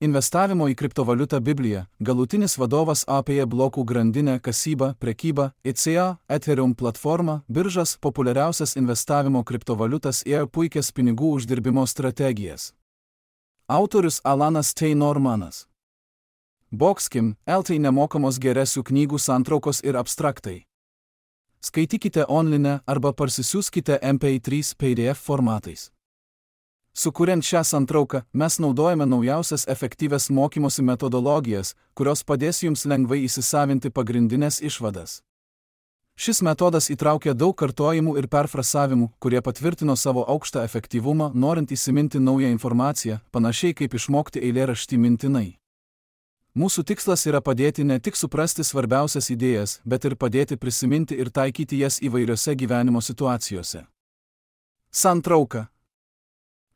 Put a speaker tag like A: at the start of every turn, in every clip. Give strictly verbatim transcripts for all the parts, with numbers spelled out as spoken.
A: Investavimo į kriptovaliutą Biblija, galutinis vadovas apie blokų grandinę, kasybą, prekybą, E C A, Ethereum platformą, biržas, populiariausias investavimo kriptovaliutas ir puikias pinigų uždirbimo strategijas. Autorius Alanas T. Normanas. Boxkim, L T nemokamos geresių knygų santraukos ir abstraktai. Skaitykite online arba parsisiųskite M P trys P D F formatais. Sukuriant šią santrauką, mes naudojame naujausias efektyvias mokymosi metodologijas, kurios padės jums lengvai įsisavinti pagrindinės išvadas. Šis metodas įtraukia daug kartojimų ir perfrasavimų, kurie patvirtino savo aukštą efektyvumą, norint įsiminti naują informaciją, panašiai kaip išmokti eilėraštį mintinai. Mūsų tikslas yra padėti ne tik suprasti svarbiausias idėjas, bet ir padėti prisiminti ir taikyti jas įvairiose gyvenimo situacijose. Santrauka.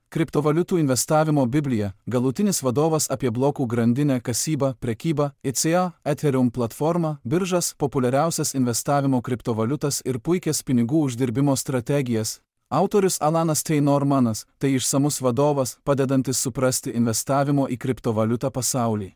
A: Kriptovaliutų investavimo Biblija, galutinis vadovas apie blokų grandinę, kasybą, prekybą, E C A, Ethereum platformą, biržas, populiariausias investavimo kriptovaliutas ir puikias pinigų uždirbimo strategijas. Autorius Alanas T. Normanas, tai išsamus vadovas, padedantis suprasti investavimo į kriptovaliutą pasaulį.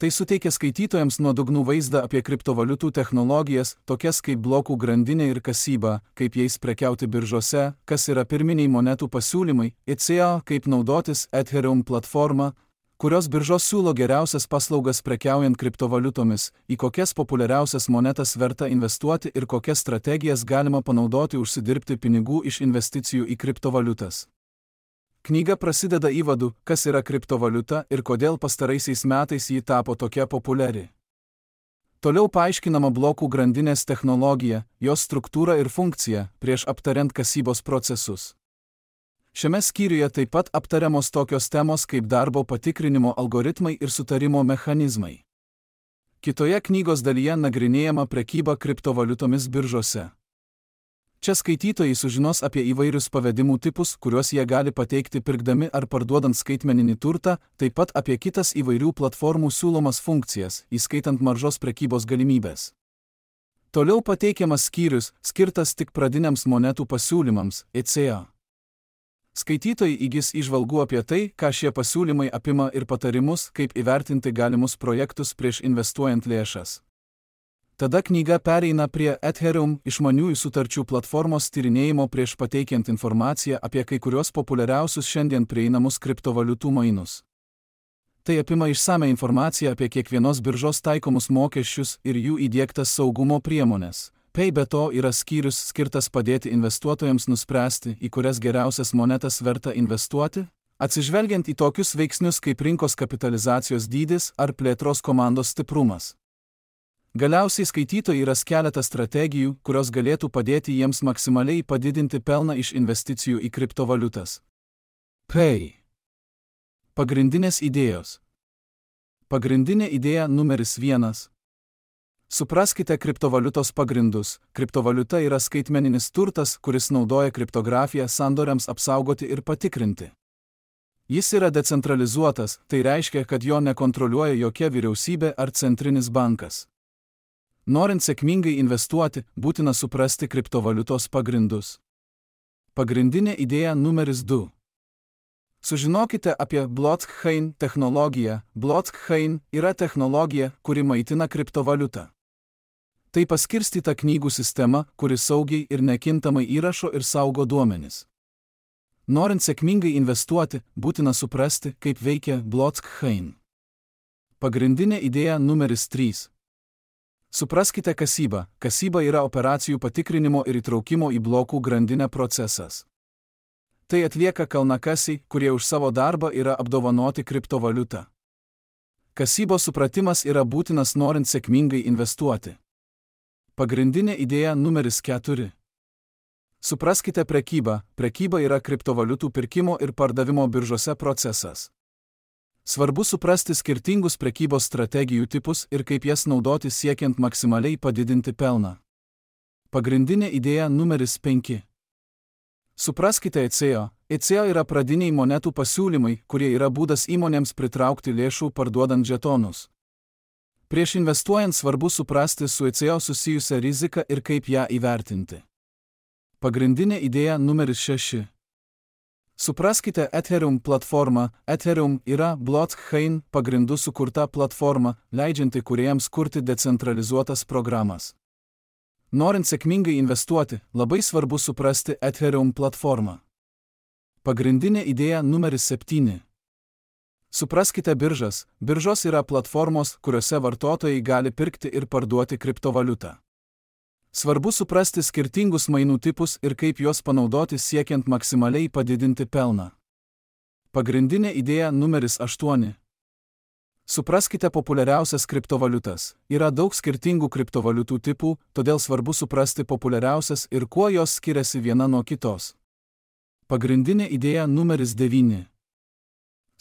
A: Tai suteikia skaitytojams nuodugnų vaizdą apie kriptovaliutų technologijas, tokias kaip blokų grandinė ir kasyba, kaip jais prekiauti biržose, kas yra pirminiai monetų pasiūlymai, E C A, kaip naudotis Ethereum platformą, kurios biržos siūlo geriausias paslaugas prekiaujant kriptovaliutomis, į kokias populiariausias monetas verta investuoti ir kokias strategijas galima panaudoti užsidirbti pinigų iš investicijų į kriptovaliutas. Knyga prasideda įvadu, kas yra kriptovaliuta ir kodėl pastaraisiais metais ji tapo tokia populiari. Toliau paaiškinama blokų grandinės technologija, jos struktūra ir funkcija, prieš aptariant kasybos procesus. Šiame skyriuje taip pat aptariamos tokios temos kaip darbo patikrinimo algoritmai ir sutarimo mechanizmai. Kitoje knygos dalyje nagrinėjama prekyba kriptovaliutomis biržose. Čia skaitytojai sužinos apie įvairius pavedimų tipus, kuriuos jie gali pateikti pirkdami ar parduodant skaitmeninį turtą, taip pat apie kitas įvairių platformų siūlomas funkcijas, įskaitant maržos prekybos galimybės. Toliau pateikiamas skyrius, skirtas tik pradiniams monetų pasiūlymams, E C A. Skaitytojai įgis įžvalgų apie tai, ką šie pasiūlymai apima ir patarimus, kaip įvertinti galimus projektus prieš investuojant lėšas. Tada knyga pereina prie Ethereum išmaniųjų sutarčių platformos tyrinėjimo prieš pateikiant informaciją apie kai kurios populiariausius šiandien prieinamus kriptovaliutų mainus. Tai apima išsame informaciją apie kiekvienos biržos taikomus mokesčius ir jų įdiegtas saugumo priemonės. Pei be to yra skyrius skirtas padėti investuotojams nuspręsti, į kurias geriausias monetas verta investuoti, atsižvelgiant į tokius veiksnius kaip rinkos kapitalizacijos dydis ar plėtros komandos stiprumas. Galiausiai skaitytojai ras keletą strategijų, kurios galėtų padėti jiems maksimaliai padidinti pelną iš investicijų į kriptovaliutas. Pei. Pagrindinės idėjos. Pagrindinė idėja numeris vienas. Supraskite kriptovaliutos pagrindus. Kriptovaliuta yra skaitmeninis turtas, kuris naudoja kriptografiją sandoriams apsaugoti ir patikrinti. Jis yra decentralizuotas, tai reiškia, kad jo nekontroliuoja jokia vyriausybė ar centrinis bankas. Norint sėkmingai investuoti, būtina suprasti kriptovaliutos pagrindus. Pagrindinė idėja numeris du. Sužinokite apie blockchain technologiją. Blockchain yra technologija, kuri maitina kriptovaliutą. Tai paskirstyta knygų sistema, kuri saugiai ir nekintamai įrašo ir saugo duomenis. Norint sėkmingai investuoti, būtina suprasti, kaip veikia blockchain. Pagrindinė idėja numeris trys. Supraskite kasybą. Kasyba yra operacijų patikrinimo ir įtraukimo į blokų grandinę procesas. Tai atlieka kalnakasiai, kurie už savo darbą yra apdovanoti kriptovaliutą. Kasybos supratimas yra būtinas norint sėkmingai investuoti. Pagrindinė idėja numeris keturi. Supraskite prekybą. Prekyba yra kriptovaliutų pirkimo ir pardavimo biržose procesas. Svarbu suprasti skirtingus prekybos strategijų tipus ir kaip jas naudoti siekiant maksimaliai padidinti pelną. Pagrindinė idėja numeris penki. Supraskite E C A. E C A yra pradiniai monetų pasiūlymai, kurie yra būdas įmonėms pritraukti lėšų parduodant žetonus. Prieš investuojant svarbu suprasti su E C A susijusią riziką ir kaip ją įvertinti. Pagrindinė idėja numeris šeši. Supraskite Ethereum platformą. Ethereum yra blockchain pagrindų sukurta platforma, leidžianti kūrėjams kurti decentralizuotas programas. Norint sėkmingai investuoti, labai svarbu suprasti Ethereum platformą. Pagrindinė idėja numeris septyni. Supraskite biržas. Biržos yra platformos, kuriuose vartotojai gali pirkti ir parduoti kriptovaliutą. Svarbu suprasti skirtingus mainų tipus ir kaip juos panaudoti siekiant maksimaliai padidinti pelną. Pagrindinė idėja numeris aštuoni. Supraskite populiariausias kriptovaliutas. Yra daug skirtingų kriptovaliutų tipų, todėl svarbu suprasti populiariausias ir kuo jos skiriasi viena nuo kitos. Pagrindinė idėja numeris devyni.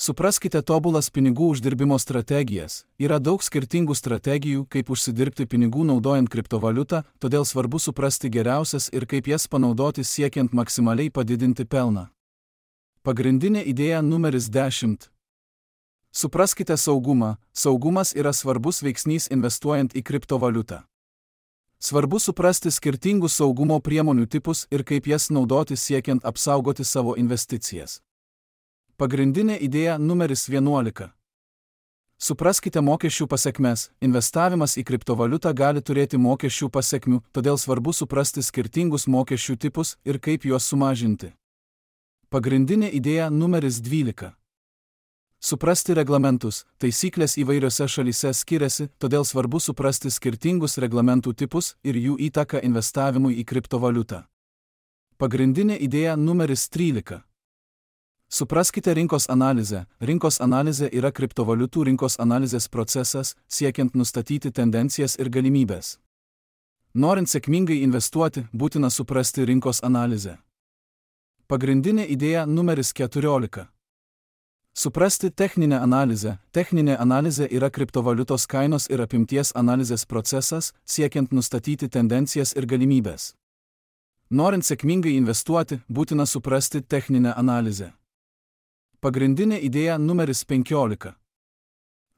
A: Supraskite tobulas pinigų uždirbimo strategijas. Yra daug skirtingų strategijų, kaip užsidirbti pinigų naudojant kriptovaliutą, todėl svarbu suprasti geriausias ir kaip jas panaudoti siekiant maksimaliai padidinti pelną. Pagrindinė idėja numeris dešimt. Supraskite saugumą. Saugumas yra svarbus veiksnys investuojant į kriptovaliutą. Svarbu suprasti skirtingus saugumo priemonių tipus ir kaip jas naudoti siekiant apsaugoti savo investicijas. Pagrindinė idėja numeris vienuolika. Supraskite mokesčių pasekmes. Investavimas į kriptovaliutą gali turėti mokesčių pasekmių, todėl svarbu suprasti skirtingus mokesčių tipus ir kaip juos sumažinti. Pagrindinė idėja numeris dvylika. Suprasti reglamentus. Taisyklės įvairiose šalyse skiriasi, todėl svarbu suprasti skirtingus reglamentų tipus ir jų įtaką investavimui į kriptovaliutą. Pagrindinė idėja numeris trylika. Supraskite rinkos analizę. Rinkos analizė yra kriptovaliutų rinkos analizės procesas, siekiant nustatyti tendencijas ir galimybės. Norint sėkmingai investuoti, būtina suprasti rinkos analizę. Pagrindinė idėja numeris keturiolika. Suprasti techninę analizę. Techninė analizė yra kriptovaliutos kainos ir apimties analizės procesas, siekiant nustatyti tendencijas ir galimybės. Norint sėkmingai investuoti, būtina suprasti techninę analizę. Pagrindinė idėja numeris penkiolika.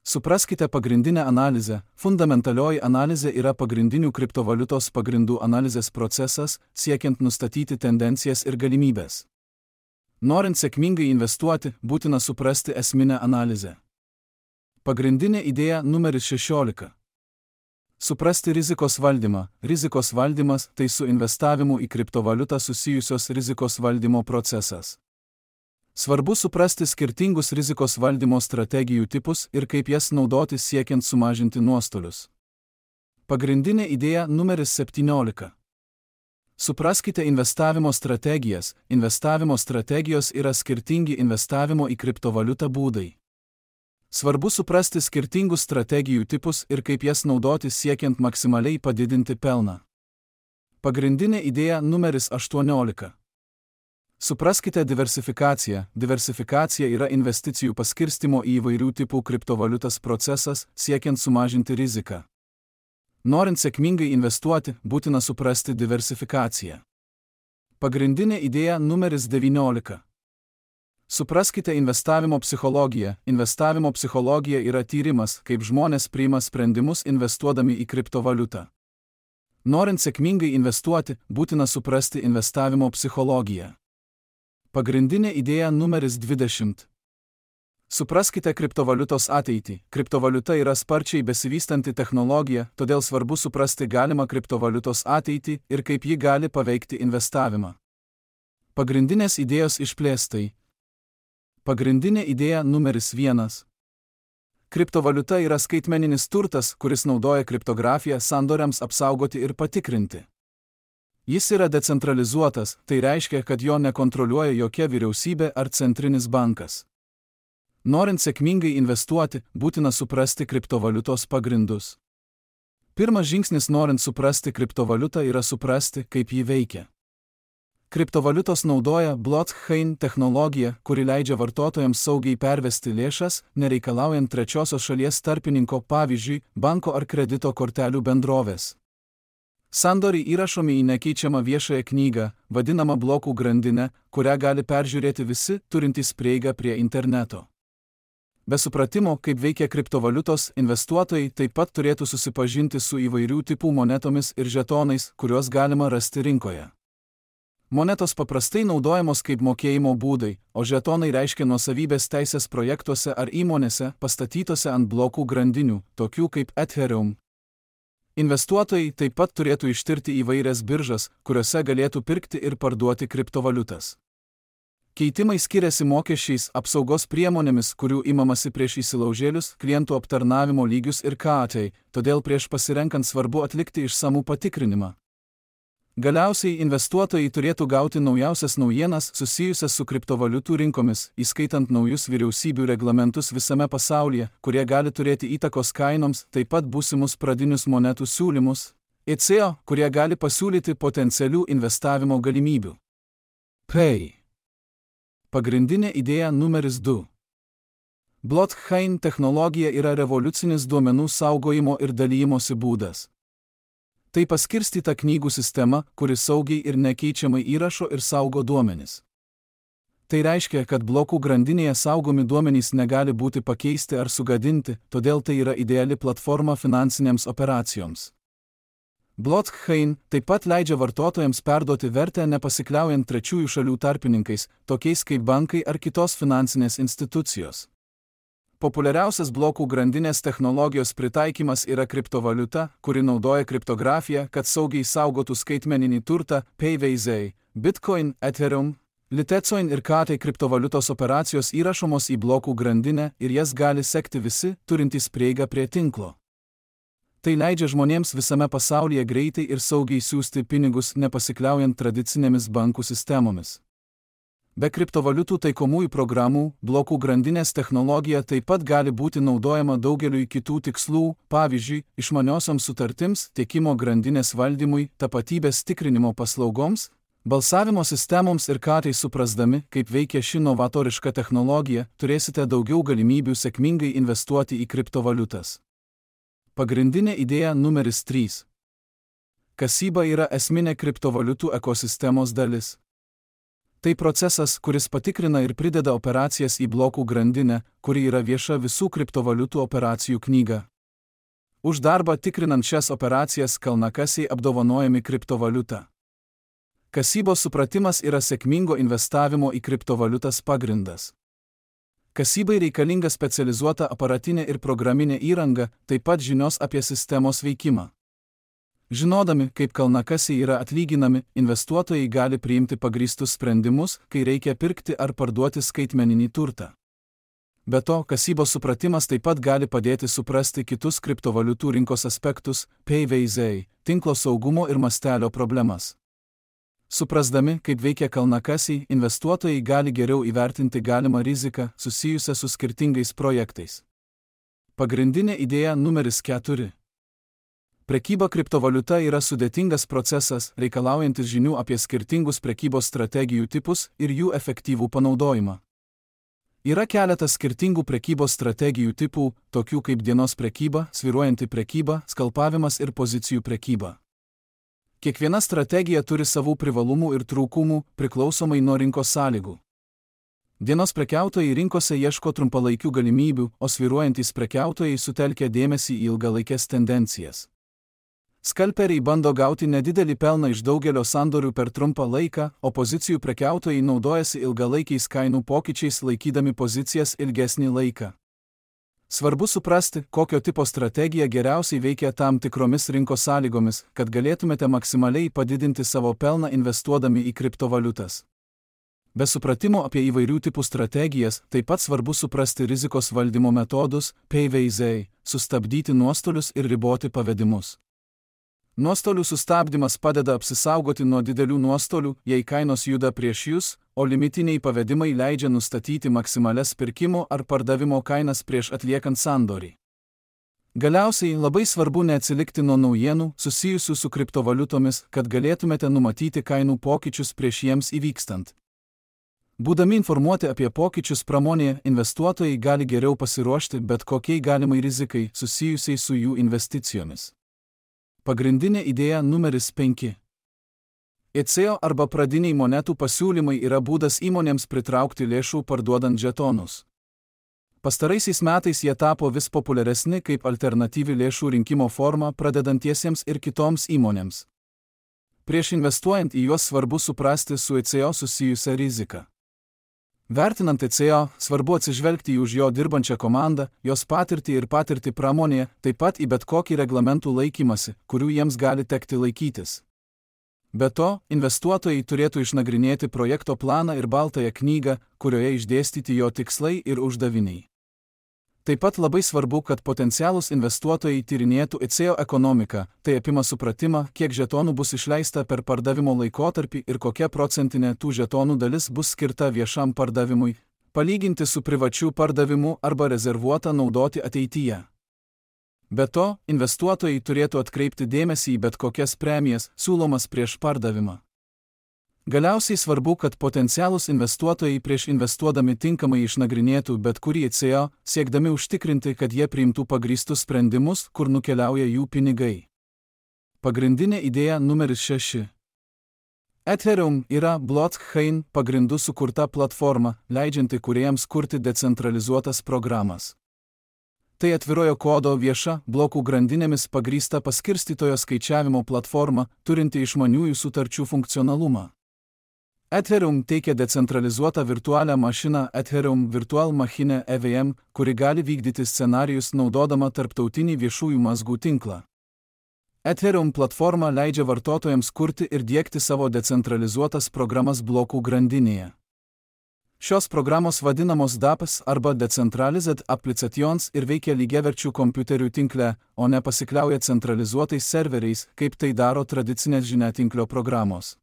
A: Supraskite pagrindinę analizę. Fundamentalioji analizė yra pagrindinių kriptovaliutos pagrindų analizės procesas, siekiant nustatyti tendencijas ir galimybės. Norint sėkmingai investuoti, būtina suprasti esminę analizę. Pagrindinė idėja numeris šešiolika. Suprasti rizikos valdymą. Rizikos valdymas – tai su investavimu į kriptovaliutą susijusios rizikos valdymo procesas. Svarbu suprasti skirtingus rizikos valdymo strategijų tipus ir kaip jas naudoti siekiant sumažinti nuostolius. Pagrindinė idėja numeris septyniolika. Supraskite investavimo strategijas. Investavimo strategijos yra skirtingi investavimo į kriptovaliutą būdai. Svarbu suprasti skirtingus strategijų tipus ir kaip jas naudoti siekiant maksimaliai padidinti pelną. Pagrindinė idėja numeris aštuoniolika. Supraskite diversifikaciją. Diversifikacija yra investicijų paskirstimo į įvairių tipų kriptovaliutas procesas, siekiant sumažinti riziką. Norint sėkmingai investuoti, būtina suprasti diversifikaciją. Pagrindinė idėja numeris devyniolika. Supraskite investavimo psichologiją. Investavimo psichologija yra tyrimas, kaip žmonės priima sprendimus investuodami į kriptovaliutą. Norint sėkmingai investuoti, būtina suprasti investavimo psichologiją. Pagrindinė idėja numeris dvidešimt. Supraskite kriptovaliutos ateitį. Kriptovaliuta yra sparčiai besivystanti technologija, todėl svarbu suprasti galimą kriptovaliutos ateitį ir kaip ji gali paveikti investavimą. Pagrindinės idėjos išplėstai. Pagrindinė idėja numeris vienas. Kriptovaliuta yra skaitmeninis turtas, kuris naudoja kriptografiją sandoriams apsaugoti ir patikrinti. Jis yra decentralizuotas, tai reiškia, kad jo nekontroliuoja jokia vyriausybė ar centrinis bankas. Norint sėkmingai investuoti, būtina suprasti kriptovaliutos pagrindus. Pirmas žingsnis norint suprasti kriptovaliutą yra suprasti, kaip ji veikia. Kriptovaliutos naudoja blockchain technologiją, kuri leidžia vartotojams saugiai pervesti lėšas, nereikalaujant trečiosios šalies tarpininko, pavyzdžiui, banko ar kredito kortelių bendrovės. Sandoriai įrašomi į nekeičiamą viešąją knygą, vadinamą blokų grandinę, kurią gali peržiūrėti visi, turintys prieigą prie interneto. Be supratimo, kaip veikia kriptovaliutos, investuotojai taip pat turėtų susipažinti su įvairių tipų monetomis ir žetonais, kuriuos galima rasti rinkoje. Monetos paprastai naudojamos kaip mokėjimo būdai, o žetonai reiškia nuosavybės teisės projektuose ar įmonėse pastatytose ant blokų grandinių, tokių kaip Ethereum. Investuotojai taip pat turėtų ištirti įvairias biržas, kuriuose galėtų pirkti ir parduoti kriptovaliutas. Keitimai skiriasi mokesčiais, apsaugos priemonėmis, kurių imamasi prieš įsilaužėlius, klientų aptarnavimo lygius ir katai, todėl prieš pasirenkant svarbu atlikti išsamų patikrinimą. Galiausiai investuotojai turėtų gauti naujausias naujienas susijusias su kriptovaliutų rinkomis, įskaitant naujus vyriausybių reglamentus visame pasaulyje, kurie gali turėti įtakos kainoms, taip pat būsimus pradinius monetų siūlymus, I C O, kurie gali pasiūlyti potencialių investavimo galimybių. Pay. Pagrindinė idėja numeris du. Blockchain technologija yra revoliucinis duomenų saugojimo ir dalymosi būdas. Tai paskirstyta knygų sistema, kuri saugiai ir nekeičiamai įrašo ir saugo duomenis. Tai reiškia, kad blokų grandinėje saugomi duomenys negali būti pakeisti ar sugadinti, todėl tai yra ideali platforma finansinėms operacijoms. Blockchain taip pat leidžia vartotojams perduoti vertę nepasikliaujant trečiųjų šalių tarpininkais, tokiais kaip bankai ar kitos finansinės institucijos. Populiariausias blokų grandinės technologijos pritaikymas yra kriptovaliuta, kuri naudoja kriptografiją, kad saugiai saugotų skaitmeninį turtą, P V Z, Bitcoin, Ethereum, Litecoin ir Katai kriptovaliutos operacijos įrašomos į blokų grandinę ir jas gali sekti visi, turintys prieigą prie tinklo. Tai leidžia žmonėms visame pasaulyje greitai ir saugiai siųsti pinigus nepasikliaujant tradicinėmis bankų sistemomis. Be kriptovaliutų taikomųjų programų, blokų grandinės technologija taip pat gali būti naudojama daugeliui kitų tikslų, pavyzdžiui, išmaniosioms sutartims, tiekimo grandinės valdymui, tapatybės tikrinimo paslaugoms, balsavimo sistemoms ir ką tai suprasdami, kaip veikia ši novatoriška technologija, turėsite daugiau galimybių sėkmingai investuoti į kriptovaliutas. Pagrindinė idėja numeris trys. Kasyba yra esminė kriptovaliutų ekosistemos dalis. Tai procesas, kuris patikrina ir prideda operacijas į blokų grandinę, kuri yra vieša visų kriptovaliutų operacijų knyga. Už darbą tikrinant šias operacijas kalnakasiai apdovanojami kriptovaliuta. Kasybos supratimas yra sėkmingo investavimo į kriptovaliutas pagrindas. Kasybai reikalinga specializuota aparatinė ir programinė įranga, taip pat žinios apie sistemos veikimą. Žinodami, kaip kalnakasiai yra atlyginami, investuotojai gali priimti pagrįstus sprendimus, kai reikia pirkti ar parduoti skaitmeninį turtą. Be to, kasybos supratimas taip pat gali padėti suprasti kitus kriptovaliutų rinkos aspektus, P V Z, tinklo saugumo ir mastelio problemas. Suprasdami, kaip veikia kalnakasiai, investuotojai gali geriau įvertinti galimą riziką susijusią su skirtingais projektais. Pagrindinė idėja numeris keturi. Prekyba kriptovaliuta yra sudėtingas procesas, reikalaujantis žinių apie skirtingus prekybos strategijų tipus ir jų efektyvų panaudojimą. Yra keletas skirtingų prekybos strategijų tipų, tokių kaip dienos prekyba, svyruojanti prekyba, skalpavimas ir pozicijų prekyba. Kiekviena strategija turi savų privalumų ir trūkumų, priklausomai nuo rinkos sąlygų. Dienos prekiautojai rinkose ieško trumpalaikių galimybių, o svyruojantys prekiautojai sutelkia dėmesį į ilgalaikes tendencijas. Skalperiai bando gauti nedidelį pelną iš daugelio sandorių per trumpą laiką, o pozicijų prekiautojai naudojasi ilgalaikiais kainų pokyčiais laikydami pozicijas ilgesnį laiką. Svarbu suprasti, kokio tipo strategija geriausiai veikia tam tikromis rinkos sąlygomis, kad galėtumėte maksimaliai padidinti savo pelną investuodami į kriptovaliutas. Be supratimo apie įvairių tipų strategijas, taip pat svarbu suprasti rizikos valdymo metodus, P V Z, sustabdyti nuostolius ir riboti pavedimus. Nuostolių sustabdymas padeda apsisaugoti nuo didelių nuostolių, jei kainos juda prieš jūs, o limitiniai pavedimai leidžia nustatyti maksimalias pirkimo ar pardavimo kainas prieš atliekant sandorį. Galiausiai labai svarbu neatsilikti nuo naujienų susijusių su kriptovaliutomis, kad galėtumėte numatyti kainų pokyčius prieš jiems įvykstant. Būdami informuoti apie pokyčius pramonėje, investuotojai gali geriau pasiruošti bet kokiai galimai rizikai susijusiai su jų investicijomis. Pagrindinė idėja numeris penki. I C O arba pradiniai monetų pasiūlymai yra būdas įmonėms pritraukti lėšų parduodant žetonus. Pastaraisiais metais jie tapo vis populiaresni kaip alternatyvi lėšų rinkimo forma pradedantiesiems ir kitoms įmonėms. Prieš investuojant į juos svarbu suprasti su E C O susijusią riziką. Vertinant E C O, svarbu atsižvelgti į už jo dirbančią komandą, jos patirtį ir patirtį pramonėje, taip pat į bet kokį reglamentų laikymasi, kurių jiems gali tekti laikytis. Be to, investuotojai turėtų išnagrinėti projekto planą ir baltąją knygą, kurioje išdėstyti jo tikslai ir uždaviniai. Taip pat labai svarbu, kad potencialūs investuotojai tyrinėtų E C O ekonomiką, tai apima supratimą, kiek žetonų bus išleista per pardavimo laikotarpį ir kokia procentinė tų žetonų dalis bus skirta viešam pardavimui, palyginti su privačiu pardavimu arba rezervuota naudoti ateityje. Be to, investuotojai turėtų atkreipti dėmesį į bet kokias premijas, siūlomas prieš pardavimą. Galiausiai svarbu, kad potencialūs investuotojai prieš investuodami tinkamai išnagrinėtų bet kurį E C O, siekdami užtikrinti, kad jie priimtų pagrįstus sprendimus, kur nukeliauja jų pinigai. Pagrindinė idėja numeris šeši. Ethereum yra blockchain pagrindu sukurta platforma, leidžianti kūrėjams kurti decentralizuotas programas. Tai atvirojo kodo vieša, blokų grandinėmis pagrįsta paskirstytojo skaičiavimo platforma, turinti išmaniųjų sutarčių funkcionalumą. Ethereum teikia decentralizuotą virtualią mašiną Ethereum Virtual Machine E V M, kuri gali vykdyti scenarijus naudodama tarptautinį viešųjų mazgų tinklą. Ethereum platforma leidžia vartotojams kurti ir diegti savo decentralizuotas programas blokų grandinėje. Šios programos vadinamos DApps arba Decentralized Applications ir veikia lygiaverčių kompiuterių tinkle, o ne pasikliauja centralizuotais serveriais, kaip tai daro tradicinės žiniatinklio programos.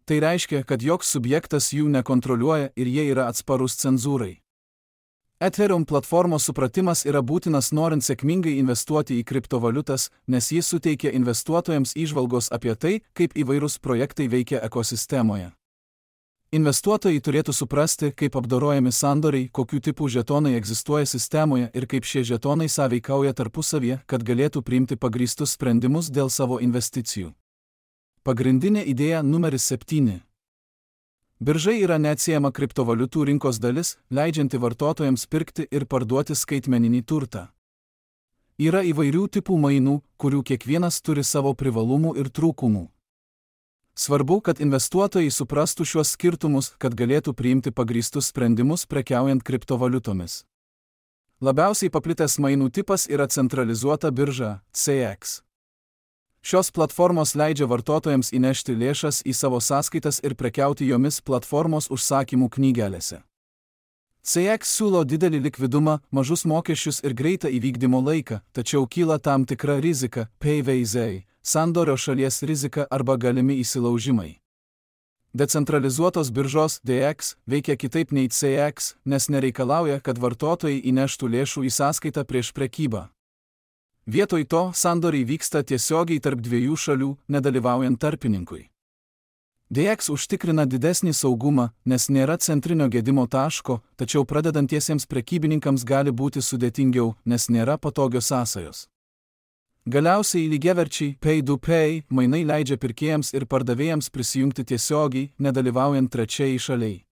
A: Tai reiškia, kad joks subjektas jų nekontroliuoja ir jie yra atsparūs cenzūrai. Ethereum platformos supratimas yra būtinas norint sėkmingai investuoti į kriptovaliutas, nes jis suteikia investuotojams įžvalgos apie tai, kaip įvairūs projektai veikia ekosistemoje. Investuotojai turėtų suprasti, kaip apdorojami sandoriai, kokių tipų žetonai egzistuoja sistemoje ir kaip šie žetonai sąveikauja tarpusavyje, kad galėtų priimti pagrįstus sprendimus dėl savo investicijų. Pagrindinė idėja numeris septyni. Birža yra neatsiejama kriptovaliutų rinkos dalis, leidžianti vartotojams pirkti ir parduoti skaitmeninį turtą. Yra įvairių tipų mainų, kurių kiekvienas turi savo privalumų ir trūkumų. Svarbu, kad investuotojai suprastų šiuos skirtumus, kad galėtų priimti pagrįstus sprendimus prekiaujant kriptovaliutomis. Labiausiai paplitęs mainų tipas yra centralizuota birža C X. Šios platformos leidžia vartotojams įnešti lėšas į savo sąskaitas ir prekiauti jomis platformos užsakymų knygelėse. C X siūlo didelį likvidumą, mažus mokesčius ir greitą įvykdymo laiką, tačiau kyla tam tikra rizika, P V Z, sandorio šalies rizika arba galimi įsilaužimai. Decentralizuotos biržos D X veikia kitaip nei C X, nes nereikalauja, kad vartotojai įneštų lėšų į sąskaitą prieš prekybą. Vietoj to sandoriai vyksta tiesiogiai tarp dviejų šalių, nedalyvaujant tarpininkui. D X užtikrina didesnį saugumą, nes nėra centrinio gedimo taško, tačiau pradedantiesiems prekybininkams gali būti sudėtingiau, nes nėra patogios sąsajos. Galiausiai lygiaverčiai pay to pay mainai leidžia pirkėjams ir pardavėjams prisijungti tiesiogiai, nedalyvaujant trečiai šaliai.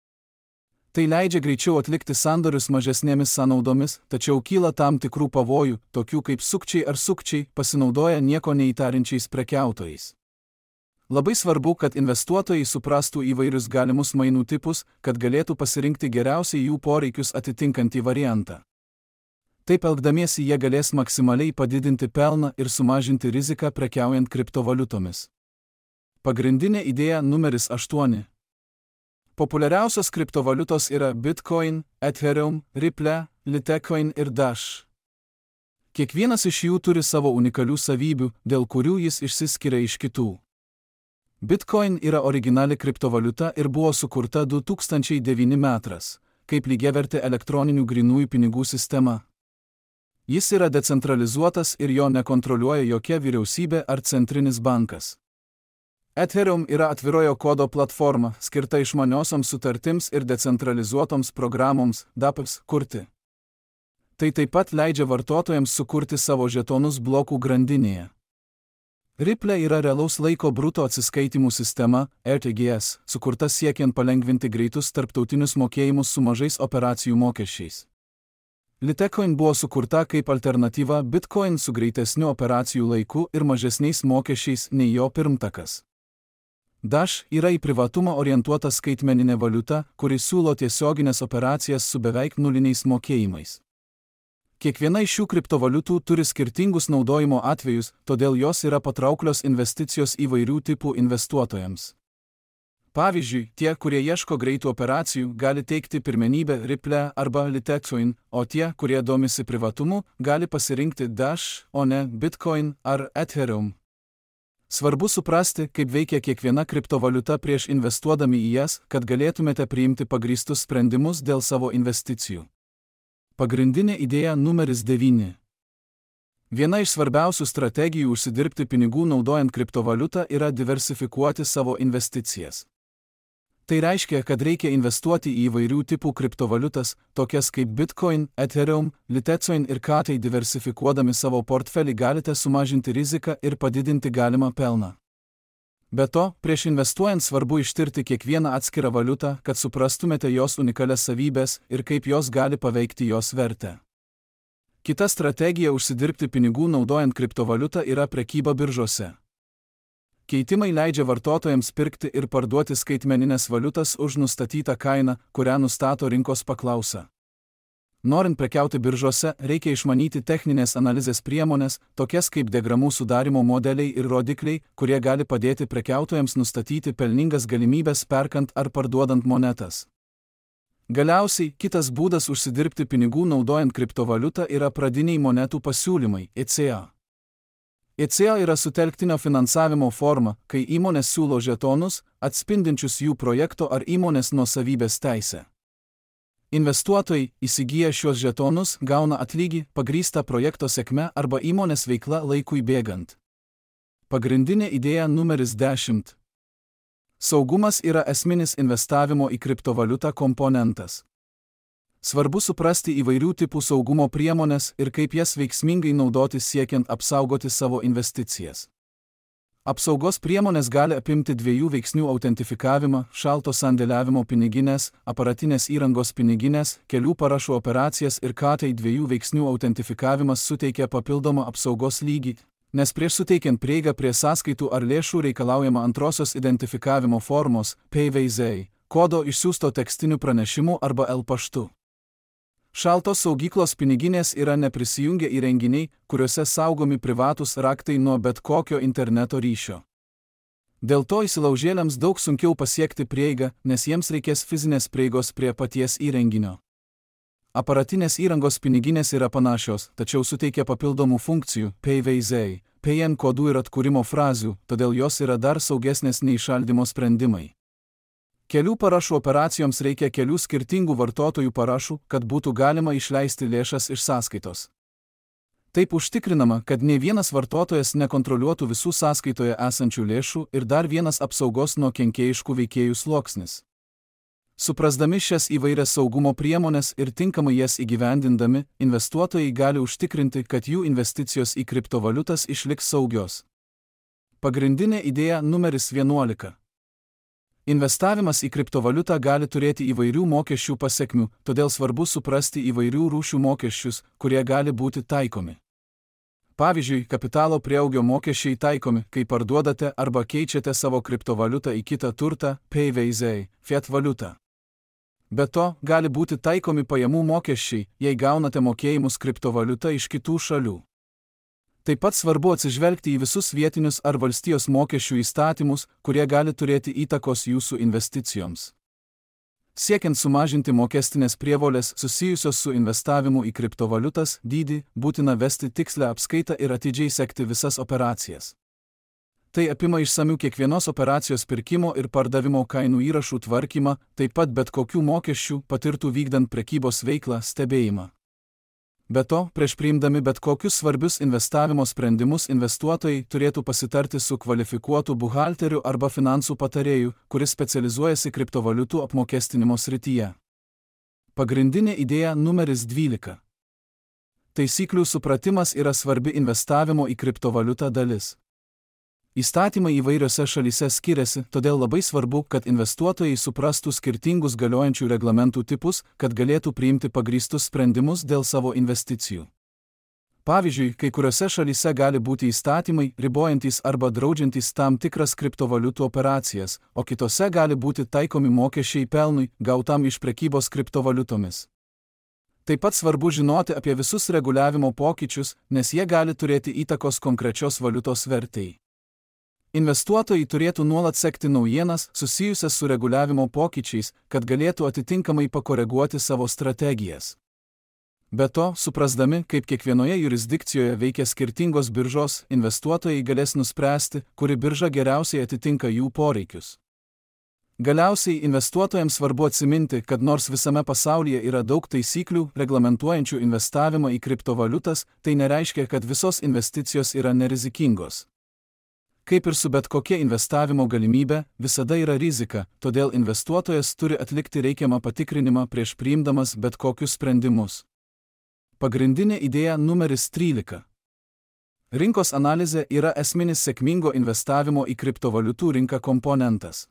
A: Tai leidžia greičiau atlikti sandorius mažesnėmis sąnaudomis, tačiau kyla tam tikrų pavojų, tokių kaip sukčiai ar sukčiai, pasinaudoja nieko neįtarinčiais prekiautojais. Labai svarbu, kad investuotojai suprastų įvairius galimus mainų tipus, kad galėtų pasirinkti geriausiai jų poreikius atitinkantį variantą. Taip elgdamiesi jie galės maksimaliai padidinti pelną ir sumažinti riziką prekiaujant kriptovaliutomis. Pagrindinė idėja numeris aštuoni. Populiariausios kriptovaliutos yra Bitcoin, Ethereum, Ripple, Litecoin ir Dash. Kiekvienas iš jų turi savo unikalių savybių, dėl kurių jis išsiskiria iš kitų. Bitcoin yra originali kriptovaliuta ir buvo sukurta du tūkstančiai devinti metais, kaip lygiavertė elektroninių grynųjų pinigų sistema. Jis yra decentralizuotas ir jo nekontroliuoja jokia vyriausybė ar centrinis bankas. Ethereum yra atvirojo kodo platforma, skirta išmaniosioms sutartims ir decentralizuotoms programoms, DApps, kurti. Tai taip pat leidžia vartotojams sukurti savo žetonus blokų grandinėje. Ripple yra realaus laiko bruto atsiskaitimų sistema, R T G S, sukurta siekiant palengvinti greitus tarptautinius mokėjimus su mažais operacijų mokesčiais. Litecoin buvo sukurta kaip alternatyva Bitcoin su greitesniu operacijų laiku ir mažesniais mokesčiais nei jo pirmtakas. Dash yra į privatumą orientuota skaitmeninė valiuta, kuri siūlo tiesioginės operacijas su beveik nuliniais mokėjimais. Kiekviena iš šių kriptovaliutų turi skirtingus naudojimo atvejus, todėl jos yra patrauklios investicijos įvairių tipų investuotojams. Pavyzdžiui, tie, kurie ieško greitų operacijų, gali teikti pirmenybę Ripple arba Litecoin, o tie, kurie domisi privatumu, gali pasirinkti Dash, o ne Bitcoin ar Ethereum. Svarbu suprasti, kaip veikia kiekviena kriptovaliuta prieš investuodami į jas, kad galėtumėte priimti pagrįstus sprendimus dėl savo investicijų. Pagrindinė idėja numeris devyni. Viena iš svarbiausių strategijų užsidirbti pinigų naudojant kriptovaliutą yra diversifikuoti savo investicijas. Tai reiškia, kad reikia investuoti į įvairių tipų kriptovaliutas, tokias kaip Bitcoin, Ethereum, Litecoin ir K. Tai diversifikuodami savo portfelį galite sumažinti riziką ir padidinti galimą pelną. Be to, prieš investuojant svarbu ištirti kiekvieną atskirą valiutą, kad suprastumėte jos unikalias savybės ir kaip jos gali paveikti jos vertę. Kita strategija užsidirbti pinigų naudojant kriptovaliutą yra prekyba biržose. Keitimai leidžia vartotojams pirkti ir parduoti skaitmeninės valiutas už nustatytą kainą, kurią nustato rinkos paklausa. Norint prekiauti biržose, reikia išmanyti techninės analizės priemonės, tokias kaip diagramų sudarimo modeliai ir rodikliai, kurie gali padėti prekiautojams nustatyti pelningas galimybes perkant ar parduodant monetas. Galiausiai, kitas būdas užsidirbti pinigų naudojant kriptovaliutą yra pradiniai monetų pasiūlymai, E C A. E C A yra sutelktinio finansavimo forma, kai įmonės siūlo žetonus, atspindinčius jų projekto ar įmonės nuosavybės teisę. Investuotojai, įsigiję šios žetonus, gauna atlygį, pagrįstą projekto sėkme arba įmonės veikla laikui bėgant. Pagrindinė idėja numeris dešimt. Saugumas yra esminis investavimo į kriptovaliutą komponentas. Svarbu suprasti įvairių tipų saugumo priemonės ir kaip jas veiksmingai naudoti siekiant apsaugoti savo investicijas. Apsaugos priemonės gali apimti dviejų veiksnių autentifikavimą, šalto sandėliavimo piniginės, aparatinės įrangos piniginės, kelių parašų operacijas ir K. Tai dviejų veiksnių autentifikavimas suteikia papildomą apsaugos lygį, nes prieš suteikiant prieigą prie sąskaitų ar lėšų reikalaujama antrosios identifikavimo formos, P V Z, kodo išsiųsto tekstiniu pranešimu arba L paštu. Šaltos saugyklos piniginės yra neprisijungę įrenginiai, kuriuose saugomi privatūs raktai nuo bet kokio interneto ryšio. Dėl to įsilaužėliams daug sunkiau pasiekti prieigą, nes jiems reikės fizinės prieigos prie paties įrenginio. Aparatinės įrangos piniginės yra panašios, tačiau suteikia papildomų funkcijų, P V Z, P N kodų ir atkūrimo frazių, todėl jos yra dar saugesnės nei šaldymo sprendimai. Kelių parašų operacijoms reikia kelių skirtingų vartotojų parašų, kad būtų galima išleisti lėšas iš sąskaitos. Taip užtikrinama, kad ne vienas vartotojas nekontroliuotų visų sąskaitoje esančių lėšų ir dar vienas apsaugos nuo kenkėjiškų veikėjų sluoksnis. Suprasdami šias įvairias saugumo priemonės ir tinkamai jas įgyvendindami, investuotojai gali užtikrinti, kad jų investicijos į kriptovaliutas išliks saugios. Pagrindinė idėja numeris vienuolika. Investavimas į kriptovaliutą gali turėti įvairių mokesčių pasekmių, todėl svarbu suprasti įvairių rūšių mokesčius, kurie gali būti taikomi. Pavyzdžiui, kapitalo prieaugio mokesčiai taikomi, kai parduodate arba keičiate savo kriptovaliutą į kitą turtą, P V Z, fiat valiutą. Be to, gali būti taikomi pajamų mokesčiai, jei gaunate mokėjimus kriptovaliuta iš kitų šalių. Taip pat svarbu atsižvelgti į visus vietinius ar valstijos mokesčių įstatymus, kurie gali turėti įtakos jūsų investicijoms. Siekiant sumažinti mokestinės prievolės susijusios su investavimu į kriptovaliutas dydį, būtina vesti tikslę apskaitą ir atidžiai sekti visas operacijas. Tai apima išsamių kiekvienos operacijos pirkimo ir pardavimo kainų įrašų tvarkymą, taip pat bet kokių mokesčių patirtų vykdant prekybos veiklą stebėjimą. Be to, prieš priimdami bet kokius svarbius investavimo sprendimus investuotojai turėtų pasitarti su kvalifikuotu buhalteriu arba finansų patarėju, kuris specializuojasi kriptovaliutų apmokestinimo srityje. Pagrindinė idėja numeris dvylika. Taisyklių supratimas yra svarbi investavimo į kriptovaliutą dalis. Įstatymai įvairiose šalyse skiriasi, todėl labai svarbu, kad investuotojai suprastų skirtingus galiojančių reglamentų tipus, kad galėtų priimti pagrįstus sprendimus dėl savo investicijų. Pavyzdžiui, kai kuriuose šalyse gali būti įstatymai, ribojantys arba draudžiantys tam tikras kriptovaliutų operacijas, o kitose gali būti taikomi mokesčiai pelnui, gautam iš prekybos kriptovaliutomis. Taip pat svarbu žinoti apie visus reguliavimo pokyčius, nes jie gali turėti įtakos konkrečios valiutos vertei. Investuotojai turėtų nuolat sekti naujienas susijusias su reguliavimo pokyčiais, kad galėtų atitinkamai pakoreguoti savo strategijas. Be to, suprasdami, kaip kiekvienoje jurisdikcijoje veikia skirtingos biržos, investuotojai galės nuspręsti, kuri birža geriausiai atitinka jų poreikius. Galiausiai investuotojams svarbu atsiminti, kad nors visame pasaulyje yra daug taisyklių, reglamentuojančių investavimą į kriptovaliutas, tai nereiškia, kad visos investicijos yra nerizikingos. Kaip ir su bet kokia investavimo galimybė, visada yra rizika, todėl investuotojas turi atlikti reikiamą patikrinimą prieš priimdamas bet kokius sprendimus. Pagrindinė idėja numeris trylika. Rinkos analizė yra esminis sėkmingo investavimo į kriptovaliutų rinką komponentas.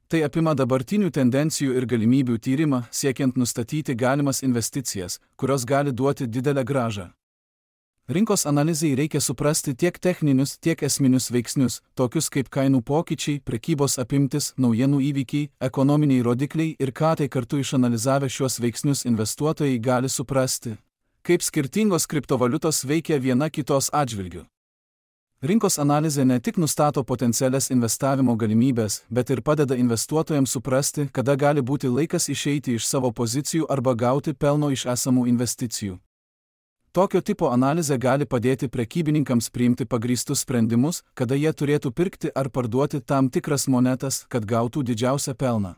A: Tai apima dabartinių tendencijų ir galimybių tyrimą, siekiant nustatyti galimas investicijas, kurios gali duoti didelę grąžą. Rinkos analizei reikia suprasti tiek techninius, tiek esminius veiksnius, tokius kaip kainų pokyčiai, prekybos apimtis, naujienų įvykiai, ekonominiai rodikliai ir ką tai kartu išanalizavę šios veiksnius investuotojai gali suprasti, kaip skirtingos kriptovaliutos veikia viena kitos atžvilgiu. Rinkos analizė ne tik nustato potencialias investavimo galimybės, bet ir padeda investuotojams suprasti, kada gali būti laikas išeiti iš savo pozicijų arba gauti pelno iš esamų investicijų. Tokio tipo analizė gali padėti prekybininkams priimti pagrįstus sprendimus, kada jie turėtų pirkti ar parduoti tam tikras monetas, kad gautų didžiausią pelną.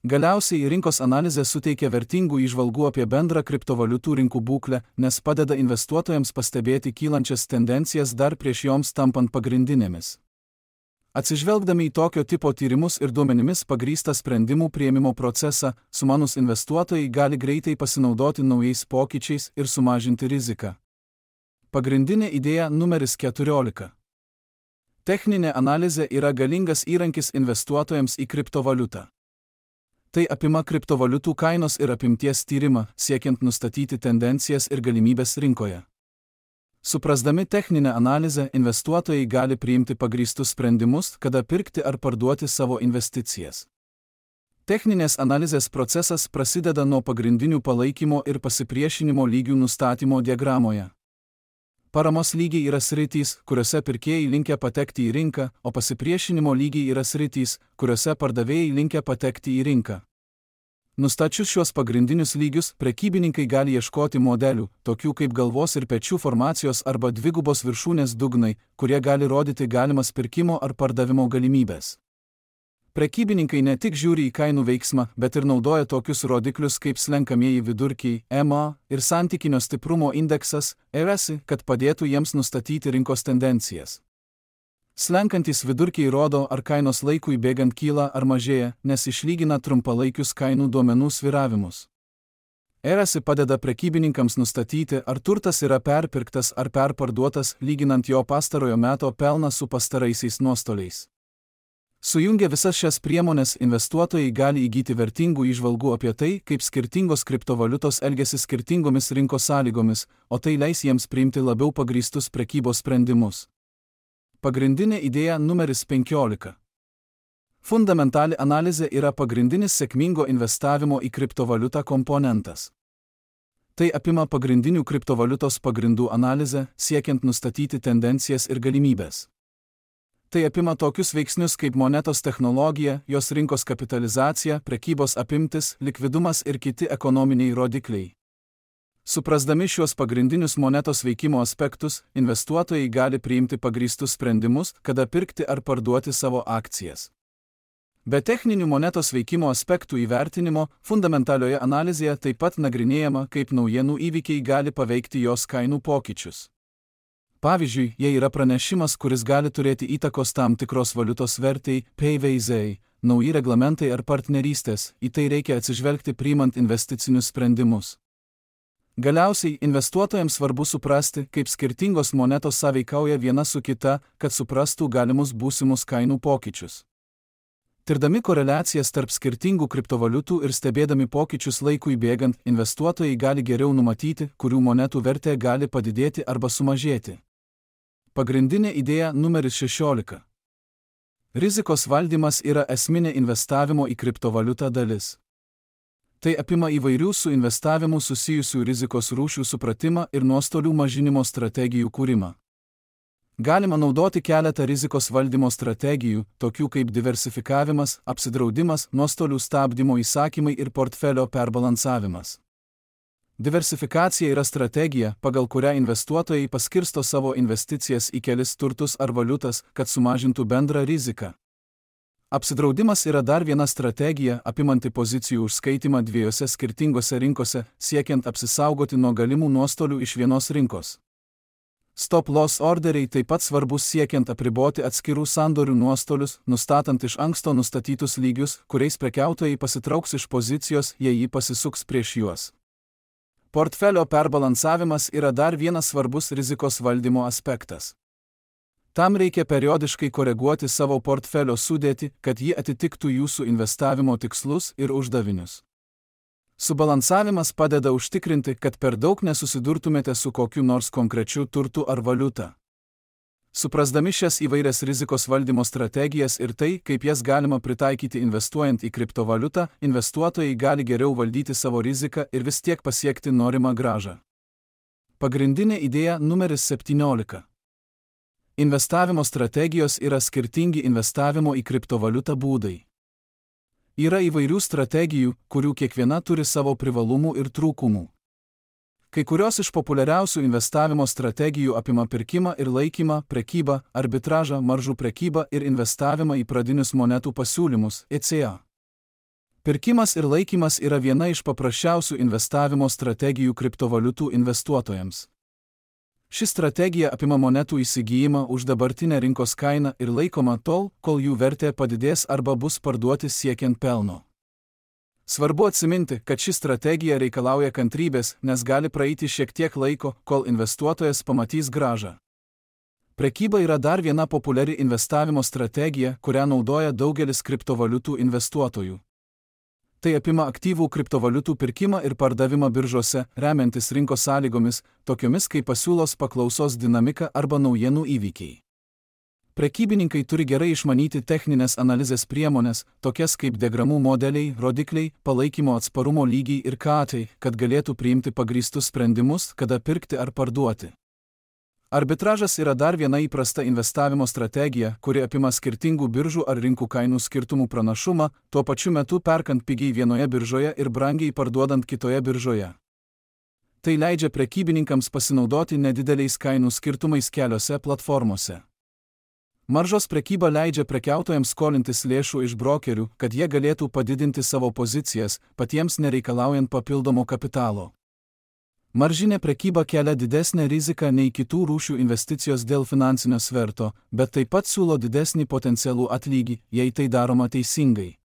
A: Galiausiai rinkos analizė suteikia vertingų įžvalgų apie bendrą kriptovaliutų rinkų būklę, nes padeda investuotojams pastebėti kylančias tendencijas dar prieš joms tampant pagrindinėmis. Atsižvelgdami į tokio tipo tyrimus ir duomenimis pagrįstą sprendimų priėmimo procesą, sumanūs investuotojai gali greitai pasinaudoti naujais pokyčiais ir sumažinti riziką. Pagrindinė idėja numeris keturiolika. Techninė analizė yra galingas įrankis investuotojams į kriptovaliutą. Tai apima kriptovaliutų kainos ir apimties tyrimą, siekiant nustatyti tendencijas ir galimybės rinkoje. Suprasdami techninę analizę, investuotojai gali priimti pagrįstus sprendimus, kada pirkti ar parduoti savo investicijas. Techninės analizės procesas prasideda nuo pagrindinių palaikymo ir pasipriešinimo lygių nustatymo diagramoje. Paramos lygiai yra sritys, kuriuose pirkėjai linkę patekti į rinką, o pasipriešinimo lygiai yra sritys, kuriuose pardavėjai linkę patekti į rinką. Nustačius šios pagrindinius lygius, prekybininkai gali ieškoti modelių, tokių kaip galvos ir pečių formacijos arba dvigubos viršūnės dugnai, kurie gali rodyti galimas pirkimo ar pardavimo galimybės. Prekybininkai ne tik žiūri į kainų veiksmą, bet ir naudoja tokius rodiklius kaip slenkamieji vidurkiai, E M A ir santykinio stiprumo indeksas, E R S, kad padėtų jiems nustatyti rinkos tendencijas. Slenkantys vidurkiai rodo, ar kainos laikui bėgant kyla ar mažėja, nes išlygina trumpalaikius kainų duomenų sviravimus. E R S padeda prekybininkams nustatyti, ar turtas yra perpirktas ar perparduotas, lyginant jo pastarojo meto pelną su pastaraisiais nuostoliais. Sujungę visas šias priemonės, investuotojai gali įgyti vertingų įžvalgų apie tai, kaip skirtingos kriptovaliutos elgiasi skirtingomis rinkos sąlygomis, o tai leis jiems priimti labiau pagrįstus prekybos sprendimus. Pagrindinė idėja numeris penkiolika. Fundamentali analizė yra pagrindinis sėkmingo investavimo į kriptovaliutą komponentas. Tai apima pagrindinių kriptovaliutos pagrindų analizę, siekiant nustatyti tendencijas ir galimybės. Tai apima tokius veiksnius kaip monetos technologija, jos rinkos kapitalizacija, prekybos apimtis, likvidumas ir kiti ekonominiai rodikliai. Suprasdami šios pagrindinius monetos veikimo aspektus, investuotojai gali priimti pagrįstus sprendimus, kada pirkti ar parduoti savo akcijas. Be techninių monetos veikimo aspektų įvertinimo, fundamentalioje analizėje taip pat nagrinėjama, kaip naujienų įvykiai gali paveikti jos kainų pokyčius. Pavyzdžiui, jei yra pranešimas, kuris gali turėti įtakos tam tikros valiutos vertei, P V Z, nauji reglamentai ar partnerystės, į tai reikia atsižvelgti priimant investicinius sprendimus. Galiausiai, investuotojams svarbu suprasti, kaip skirtingos monetos sąveikauja viena su kita, kad suprastų galimus būsimus kainų pokyčius. Tirdami koreliacijas tarp skirtingų kriptovaliutų ir stebėdami pokyčius laikui bėgant, investuotojai gali geriau numatyti, kurių monetų vertė gali padidėti arba sumažėti. Pagrindinė idėja numeris šešiolika. Rizikos valdymas yra esminė investavimo į kriptovaliutą dalis. Tai apima įvairių su investavimu susijusių rizikos rūšių supratimą ir nuostolių mažinimo strategijų kūrimą. Galima naudoti keletą rizikos valdymo strategijų, tokių kaip diversifikavimas, apsidraudimas, nuostolių stabdymo įsakymai ir portfelio perbalansavimas. Diversifikacija yra strategija, pagal kurią investuotojai paskirsto savo investicijas į kelis turtus ar valiutas, kad sumažintų bendrą riziką. Apsidraudimas yra dar viena strategija, apimanti pozicijų užskaitimą dviejose skirtingose rinkose, siekiant apsisaugoti nuo galimų nuostolių iš vienos rinkos. Stop-loss orderiai taip pat svarbus siekiant apriboti atskirų sandorių nuostolius, nustatant iš anksto nustatytus lygius, kuriais prekiautojai pasitrauks iš pozicijos, jei ji pasisuks prieš juos. Portfelio perbalansavimas yra dar vienas svarbus rizikos valdymo aspektas. Tam reikia periodiškai koreguoti savo portfelio sudėtį, kad ji atitiktų jūsų investavimo tikslus ir uždavinius. Subalansavimas padeda užtikrinti, kad per daug nesusidurtumėte su kokiu nors konkrečiu turtu ar valiuta. Suprasdami šias įvairias rizikos valdymo strategijas ir tai, kaip jas galima pritaikyti investuojant į kriptovaliutą, investuotojai gali geriau valdyti savo riziką ir vis tiek pasiekti norimą grąžą. Pagrindinė idėja numeris septyniolika. Investavimo strategijos yra skirtingi investavimo į kriptovaliutą būdai. Yra įvairių strategijų, kurių kiekviena turi savo privalumų ir trūkumų. Kai kurios iš populiariausių investavimo strategijų apima pirkimą ir laikymą, prekybą, arbitražą, maržų prekybą ir investavimą į pradinius monetų pasiūlymus, et cetera. Pirkimas ir laikymas yra viena iš paprasčiausių investavimo strategijų kriptovaliutų investuotojams. Ši strategija apima monetų įsigijimą už dabartinę rinkos kainą ir laikoma tol, kol jų vertė padidės arba bus parduoti siekiant pelno. Svarbu atsiminti, kad ši strategija reikalauja kantrybės, nes gali praeiti šiek tiek laiko, kol investuotojas pamatys grąžą. Prekyba yra dar viena populiari investavimo strategija, kurią naudoja daugelis kriptovaliutų investuotojų. Tai apima aktyvų kriptovaliutų pirkimą ir pardavimą biržose, remiantis rinkos sąlygomis, tokiomis kaip pasiūlos paklausos dinamika arba naujienų įvykiai. Prekybininkai turi gerai išmanyti techninės analizės priemonės, tokias kaip diagramų modeliai, rodikliai, palaikymo atsparumo lygiai ir katai, kad galėtų priimti pagrįstus sprendimus, kada pirkti ar parduoti. Arbitražas yra dar viena įprasta investavimo strategija, kuri apima skirtingų biržų ar rinkų kainų skirtumų pranašumą, tuo pačiu metu perkant pigiai vienoje biržoje ir brangiai parduodant kitoje biržoje. Tai leidžia prekybininkams pasinaudoti nedideliais kainų skirtumais keliose platformose. Maržos prekyba leidžia prekiautojams skolintis lėšų iš brokerių, kad jie galėtų padidinti savo pozicijas, patiems nereikalaujant papildomo kapitalo. Maržinė prekyba kelia didesnę riziką nei kitų rūšių investicijos dėl finansinio sverto, bet taip pat siūlo didesnį potencialų atlygį, jei tai daroma teisingai.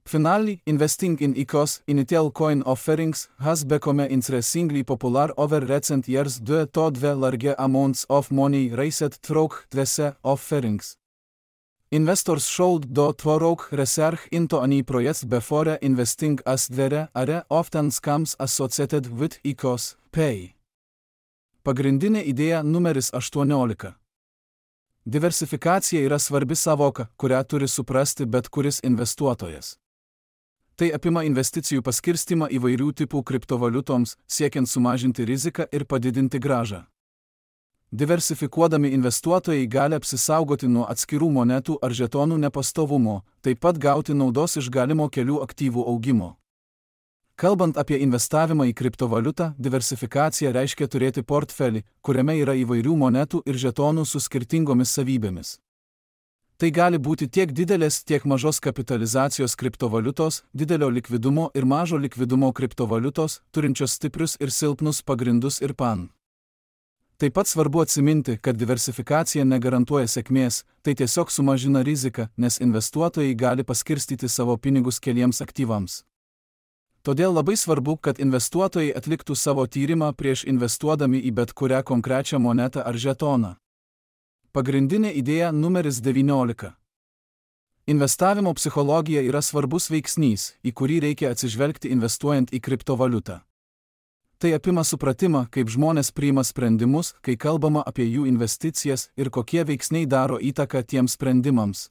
A: Finally, investing in I C Os, initial coin offerings, has become increasingly popular over recent years due to the large amounts of money raised through these offerings. Investors should do thorough research into any projects before investing as there are often scams associated with I C Os pay. Pagrindinė idėja numeris aštuoniolika. Diversifikacija yra svarbi savoka, kurią turi suprasti bet kuris investuotojas. Tai apima investicijų paskirstymą įvairių tipų kriptovaliutoms, siekiant sumažinti riziką ir padidinti grąžą. Diversifikuodami investuotojai gali apsisaugoti nuo atskirų monetų ar žetonų nepastovumo, taip pat gauti naudos iš galimo kelių aktyvų augimo. Kalbant apie investavimą į kriptovaliutą, diversifikacija reiškia turėti portfelį, kuriame yra įvairių monetų ir žetonų su skirtingomis savybėmis. Tai gali būti tiek didelės, tiek mažos kapitalizacijos kriptovaliutos, didelio likvidumo ir mažo likvidumo kriptovaliutos, turinčios stiprius ir silpnus pagrindus ir pan. Taip pat svarbu atsiminti, kad diversifikacija negarantuoja sėkmės, tai tiesiog sumažina riziką, nes investuotojai gali paskirstyti savo pinigus keliems aktyvams. Todėl labai svarbu, kad investuotojai atliktų savo tyrimą prieš investuodami į bet kurią konkrečią monetą ar žetoną. Pagrindinė idėja numeris devyniolika. Investavimo psichologija yra svarbus veiksnys, į kurį reikia atsižvelgti investuojant į kriptovaliutą. Tai apima supratimą, kaip žmonės priima sprendimus, kai kalbama apie jų investicijas ir kokie veiksniai daro įtaką tiems sprendimams.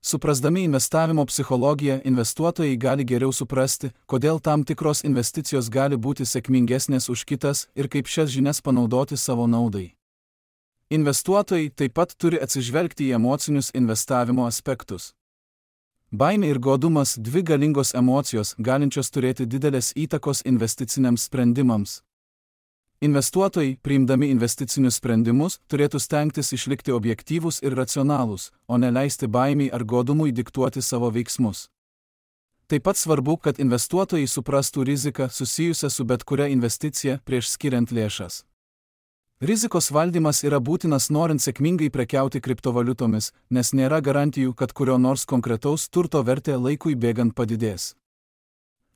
A: Suprasdami investavimo psichologiją, investuotojai gali geriau suprasti, kodėl tam tikros investicijos gali būti sėkmingesnės už kitas ir kaip šias žinias panaudoti savo naudai. Investuotojai taip pat turi atsižvelgti į emocinius investavimo aspektus. Baimė ir godumas – dvi galingos emocijos, galinčios turėti didelės įtakos investiciniams sprendimams. Investuotojai, priimdami investicinius sprendimus, turėtų stengtis išlikti objektyvūs ir racionalūs, o ne leisti baimiai ar godumui diktuoti savo veiksmus. Taip pat svarbu, kad investuotojai suprastų riziką susijusią su bet kuria investicija prieš skiriant lėšas. Rizikos valdymas yra būtinas norint sėkmingai prekiauti kriptovaliutomis, nes nėra garantijų, kad kurio nors konkretaus turto vertė laikui bėgant padidės.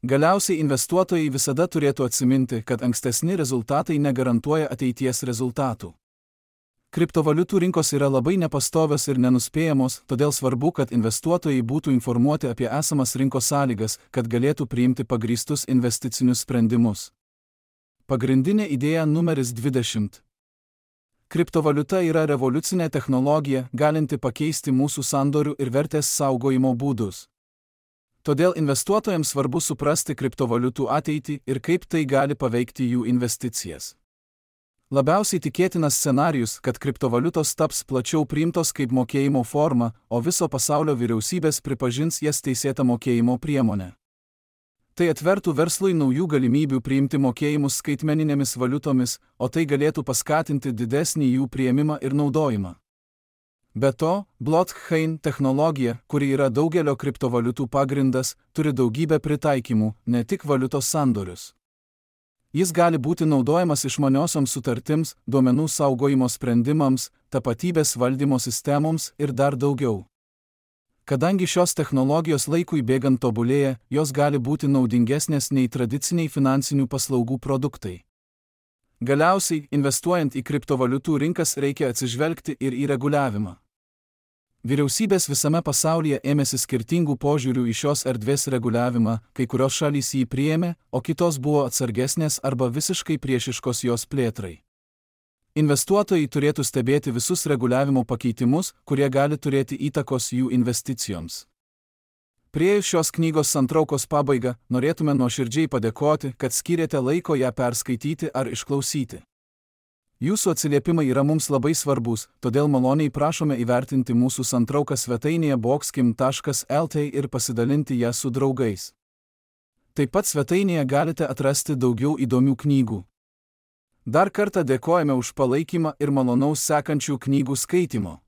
A: Galiausiai investuotojai visada turėtų atsiminti, kad ankstesni rezultatai negarantuoja ateities rezultatų. Kriptovaliutų rinkos yra labai nepastovios ir nenuspėjamos, todėl svarbu, kad investuotojai būtų informuoti apie esamas rinkos sąlygas, kad galėtų priimti pagrįstus investicinius sprendimus. Pagrindinė idėja numeris dvidešimt. Kriptovaliuta yra revoliucinė technologija, galinti pakeisti mūsų sandorių ir vertės saugojimo būdus. Todėl investuotojams svarbu suprasti kriptovaliutų ateitį ir kaip tai gali paveikti jų investicijas. Labiausiai tikėtinas scenarijus, kad kriptovaliutos taps plačiau priimtos kaip mokėjimo forma, o viso pasaulio vyriausybės pripažins jas teisėta mokėjimo priemonė. Tai atvertų verslui naujų galimybių priimti mokėjimus skaitmeninėmis valiutomis, o tai galėtų paskatinti didesnį jų priėmimą ir naudojimą. Be to, blockchain technologija, kuri yra daugelio kriptovaliutų pagrindas, turi daugybę pritaikymų, ne tik valiutos sandorius. Jis gali būti naudojamas išmaniosioms sutartims, duomenų saugojimo sprendimams, tapatybės valdymo sistemoms ir dar daugiau. Kadangi šios technologijos laikui bėgant tobulėja, jos gali būti naudingesnės nei tradiciniai finansinių paslaugų produktai. Galiausiai, investuojant į kriptovaliutų rinkas reikia atsižvelgti ir į reguliavimą. Vyriausybės visame pasaulyje ėmėsi skirtingų požiūrių į šios erdvės reguliavimą, kai kurios šalys jį priėmė, o kitos buvo atsargesnės arba visiškai priešiškos jos plėtrai. Investuotojai turėtų stebėti visus reguliavimo pakeitimus, kurie gali turėti įtakos jų investicijoms. Priėjus šios knygos santraukos pabaigą, norėtume nuoširdžiai padėkoti, kad skyrėte laiko ją perskaityti ar išklausyti. Jūsų atsiliepimai yra mums labai svarbus, todėl maloniai prašome įvertinti mūsų santrauką svetainėje boxkim taškas lt ir pasidalinti ją su draugais. Taip pat svetainėje galite atrasti daugiau įdomių knygų. Dar kartą dėkojame už palaikymą ir malonaus sekančių knygų skaitimo.